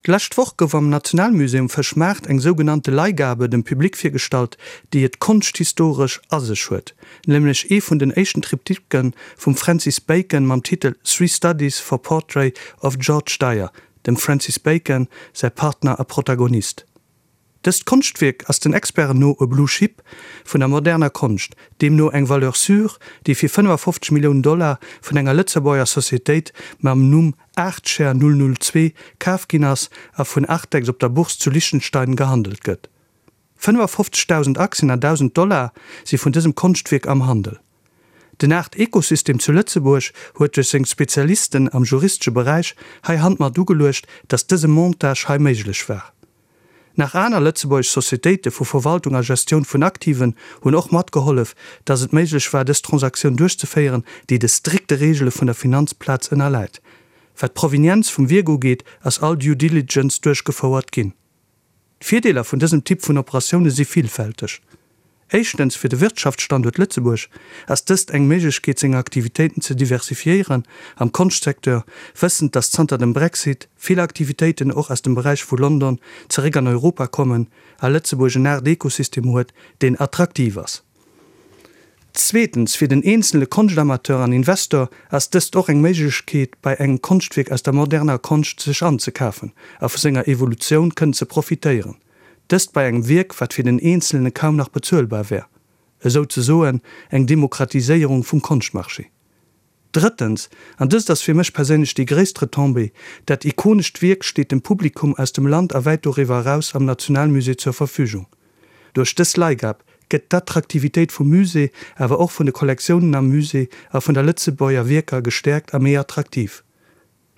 D'lescht Woch gouf am Nationalmusée um Fëschmaart eng sougenannte Leihgabe dem Public virgestallt, déi et konschthistoresch a sech huet, nämlech ee vun den éischten Triptyquen vum Francis Bacon mam Titel Three Studies for Portrait of George Dyer, dem Francis Bacon säi Partner a Protagonist. Dëst Konschtwierk ass den Experten no e Blue Chip vun der moderner Konscht, deemno eng Valeur sûre, déi fir 55 Milliounen Dollar vun enger Lëtzebuerger Societéit mam Numm Artshare 002 kaf ginn ass a vun Artex op der Bourse zu Liechtenstein gehandelt gëtt. 55.000 Aktien a 1.000 Dollar si vun dësem Konschtwierk am Handel. Den Art-Ekosystem zu Lëtzebuerg huet duerch seng Spezialisten am juristesche Beräich hei Hand mat ugeluecht, datt dëse Montage hei méiglech war. Nach aner lëtzebuergesch Societéite vu Verwaltung a Gestioun vun Aktiven hunn och matgehollef, datt et méiglech war, dës Transaktioun duerchzeféieren, déi de strikte Reegele vun der Finanzplaz ënnerläit. Wat d'Provenienz vum Wierk ugeet, ass all Due Diligence duerchgefouert ginn. D'Virdeeler vun dësem Typ vun Operatioune si villfälteg. Éischtens, fir de Wirtschaftsstanduert Lëtzebuerg ass dëst eng Méiglechkeet seng Aktivitéiten ze diversifiéieren am Konschtsecteur, wëssend datt zanter dem Brexit vill Aktivitéiten och aus dem Beräich vu London zeréck an Europa kommen a Lëtzebuerg en Aart Ekosystem huet, deen attraktiv ass. Zweetens, fir den eenzele Konschtamateur an Investor ass dëst och eng Méiglechkeet bei engem Konschtwierk aus der moderner Konscht sech anzekafen a vu senger Evolutioun kënnen ze profitéieren. Dëst bei engem Wierk, wat fir den Eenzelne kaum nach bezuelbar wär. Esou ze soen eng Demokratiséierung vum Konschtmarché. Drëttens, an dëst ass fir mech perséinlech déi gréisst Retombée, dat ikonescht Wierk steet dem Publikum aus dem Land a wäit doriwwer eraus am Nationalmusée zur Verfügung. Duerch dës Leihgab gëtt d'Attraktivitéit vum Musée, awer och vun de Kollektiounen am Musée a vun der Lëtzebuerger Wierker gestäerkt a méi attraktiv.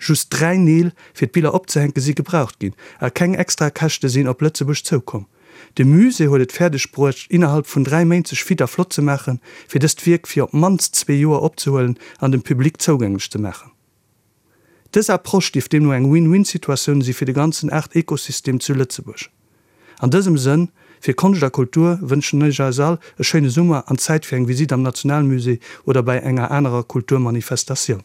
Just 3 Neel fir d'Biller opzehänke si gebraucht ginn a keng extra Käschte sinn op Lëtzebuerg zoukomm. De Musée huet et fäerdeg bruecht innerhalb vun 3 Méint sech fit a flott ze maachen, fir dëst Wierk fir op d'mannst zwee Joer opzehuelen an dem Public zougänglech ze maachen. Dës Approche dierft deemno eng Win-Win-Situatioun si fir de ganzen Art-Ekosystem zu Lëtzebuerg. An dësem Sënn, fir Konscht a Kultur, wënschen ech eis all e schéine Summer an Zäit fir eng Visitt am Nationalmusée oder bäi enger anerer Kulturmanifestatioun.